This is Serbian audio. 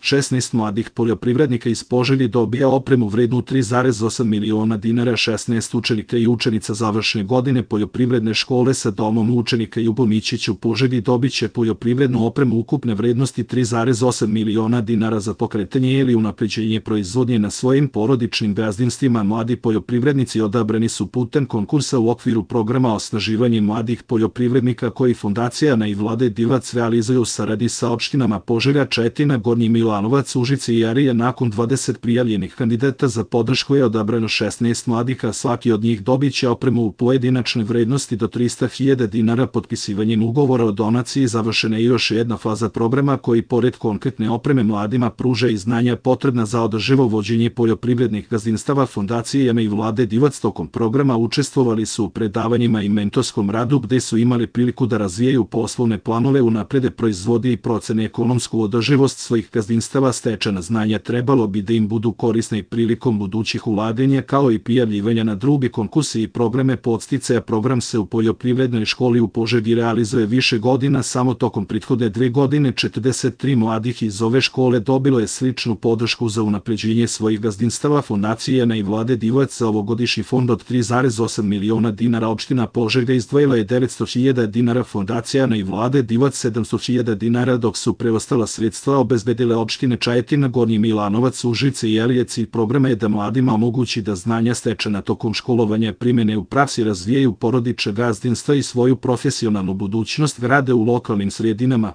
16 mladih poljoprivrednika iz Požege dobija opremu vrednu 3,8 miliona dinara, 16 učenika i učenica završne godine poljoprivredne škole sa domom učenika Ljubo Mićić u Požegi dobiće poljoprivrednu opremu ukupne vrednosti 3,8 miliona dinara za pokretanje ili unapređenje proizvodnje na svojim porodičnim gazdinstvima. Mladi poljoprivrednici odabrani su putem konkursa u okviru programa Osnaživanje mladih poljoprivrednika koji Fondacija Ana i Vlade Divac realizuju u saradnji sa opštinama Požega, Četina, Gornji Milanovac, Užice i Arija. Nakon 20 prijavljenih kandidata za podršku je odabrano 16 mladih, a svaki od njih dobiće opremu u pojedinačnoj vrednosti do 300.000 dinara. Potpisivanjem ugovora o donaciji završena je još jedna faza programa koji pored konkretne opreme mladima pruža i znanja potrebna za održivo vođenje poljoprivrednih gazdinstava. Fondacije Ana i Vlade Divac tokom programa učestvovali su u predavanjima i mentorskom radu gde su imali priliku da razvijaju poslovne planove, unaprede proizvodi i procene ekonomsku održivost svojih gazdinstava. Stečena znanja trebalo bi da im budu korisna i prilikom budućih ulaganja, kao i prijavljivanja na druge konkurse i programe podsticaja. Program se u poljoprivrednoj školi u Požegi realizuje više godina. Samo tokom prethodne 2 godine 43 mladih iz ove škole dobilo je sličnu podršku za unapređenje svojih gazdinstava. Fondacija Ana i Vlade Divac za ovogodišnji fond od 3,8 miliona dinara opština Požega izdvojila je 900.000 dinara, Fondacija Ana i Vlade Divac 700.000 dinara, dok su preostala sredstva obezbedile opštine Čajetina, Gornji Milanovac, Užice i Arija. Cilj programa je da mladima omogući da znanja stečena tokom školovanja primene u praksi, razvijaju porodična gazdinstva i svoju profesionalnu budućnost grade u lokalnim sredinama.